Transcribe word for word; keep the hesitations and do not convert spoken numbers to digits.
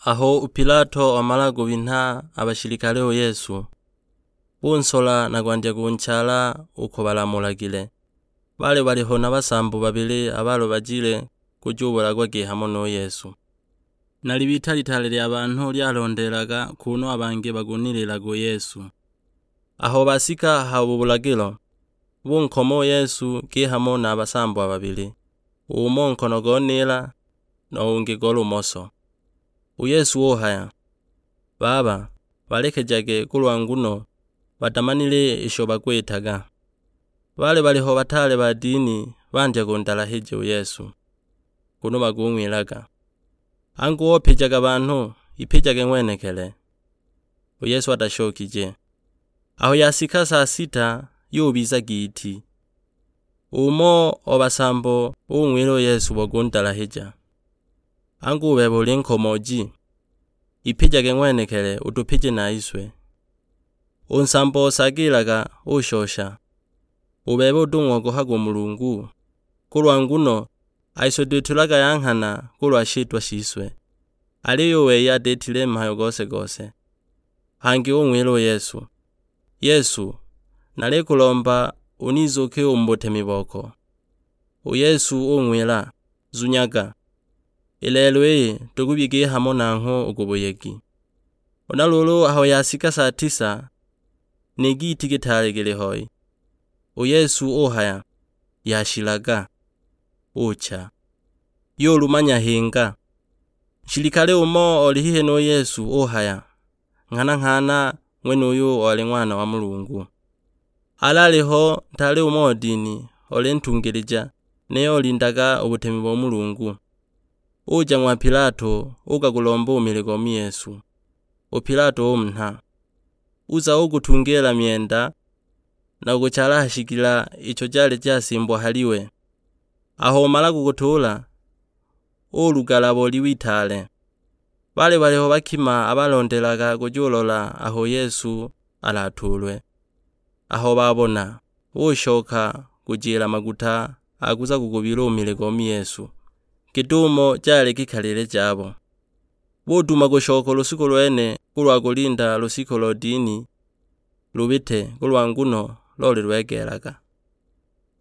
Aho u Pilato wamala kubinha a bashilikale u Yesu, bunsola na kwandya kunchala uko balamulagile. Baali baliho na basambo babili abalubajile kujubulagwa kihamo nu Yesu. Na libita litaale lya banhu lyalondeelaga kunu a bangi bagunililaga u Yesu. Aho basika ha bubulagilo, bunkoma u Yesu kihamo na basambo babili, umo nkono go nila, no ungi go lumoso. U Yesu uhaya, "Baba, balekejage kulwa nguno batamanile isho bakwitaga." Baali baliho bataale ba dini bandya kundalahija u Yesu, kunu bakung'wilaga, "Angu opijaga banhu, ipijage ng'wenekele." U Yesu atashokije. Aho yasika saa sita, yubiza giiti. Umo o basambo ung'wila u Yesu bo kundalahija, "Angu u bebe uli nkomoji? Ipijage ng'wenekele utupije na iswe." U nsambo osagilaga ushosha, "U bebe utung'ogohaga u Mulungu? Kulwa nguno a iswe twitulaga ya nghana kulwa shitwa shiswe." Aliyo u wei atetile mhayo gose-gose. Hangi ung'wila u Yesu, "Yesu, nalikulomba unizuuke u mu butemi boko." U Yesu ung'wila, "Zunyaga, i lelo iyi tukubye kihamo nanghwe u ku buyegi." Huna luulu aho yasika saa tisa, ni giiti gitaale gili hoi, u Yesu uhaya, "Yashilaga," ucha, yuluma nyahinga. Nshilikale umo oli hihi nu Yesu uhaya, "Nghana-nghana ng'wenuyu oli Ng'wana wa Mulungu." Alaliho ntaale umo o dini, oli ntungilija, niyo olindaga u butemi bo Mulungu. Uja ng'wa Pilato, ugagulomba u mili go mu Yesu. U Pilato umunha, uza ugutungiila myenda, na kuguchala ha shigila icho jali jasimbwa haliwe. Aho umala kugutuula, ulugala bo liwe itaale. Baali baliho bakima abalondelaga kujulola aho Yesu alatuulwe. Aho babona, bushoka kujila maguta a kuza kugubila u mili go mu Yesu, git'umo jali gikalile jabo. Buduma kushoka u lushiku lwene kulwa kulinda lushiku lo dini lubite, kulwa nguno loli lwegeelaga.